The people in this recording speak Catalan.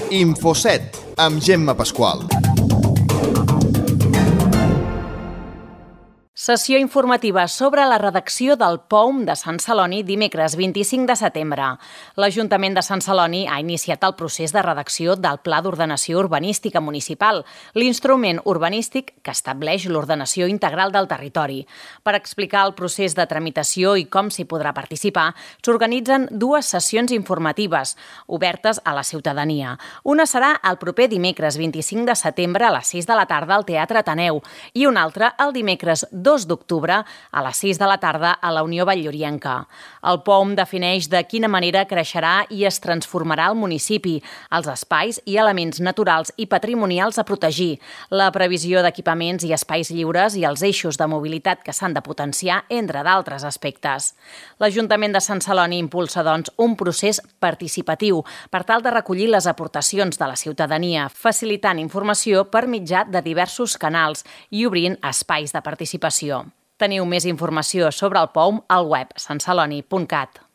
Infoset, amb Gemma Pasqual. Sessió informativa sobre la redacció del POUM de Sant Celoni dimecres 25 de setembre. L'Ajuntament de Sant Celoni ha iniciat el procés de redacció del Pla d'Ordenació Urbanística Municipal, l'instrument urbanístic que estableix l'ordenació integral del territori. Per explicar el procés de tramitació i com s'hi podrà participar, s'organitzen dues sessions informatives, obertes a la ciutadania. Una serà el proper dimecres 25 de setembre a les 6 de la tarda al Teatre Ateneu i una altra el dimecres 2 d'octubre a les 6 de la tarda a la Unió Vall-llorienca. El POUM defineix de quina manera creixerà i es transformarà el municipi, els espais i elements naturals i patrimonials a protegir, la previsió d'equipaments i espais lliures i els eixos de mobilitat que s'han de potenciar, entre d'altres aspectes. L'Ajuntament de Sant Celoni impulsa, doncs, un procés participatiu per tal de recollir les aportacions de la ciutadania, facilitant informació per mitjà de diversos canals i obrint espais de participació. Teniu més informació sobre el POUM al web santceloni.cat.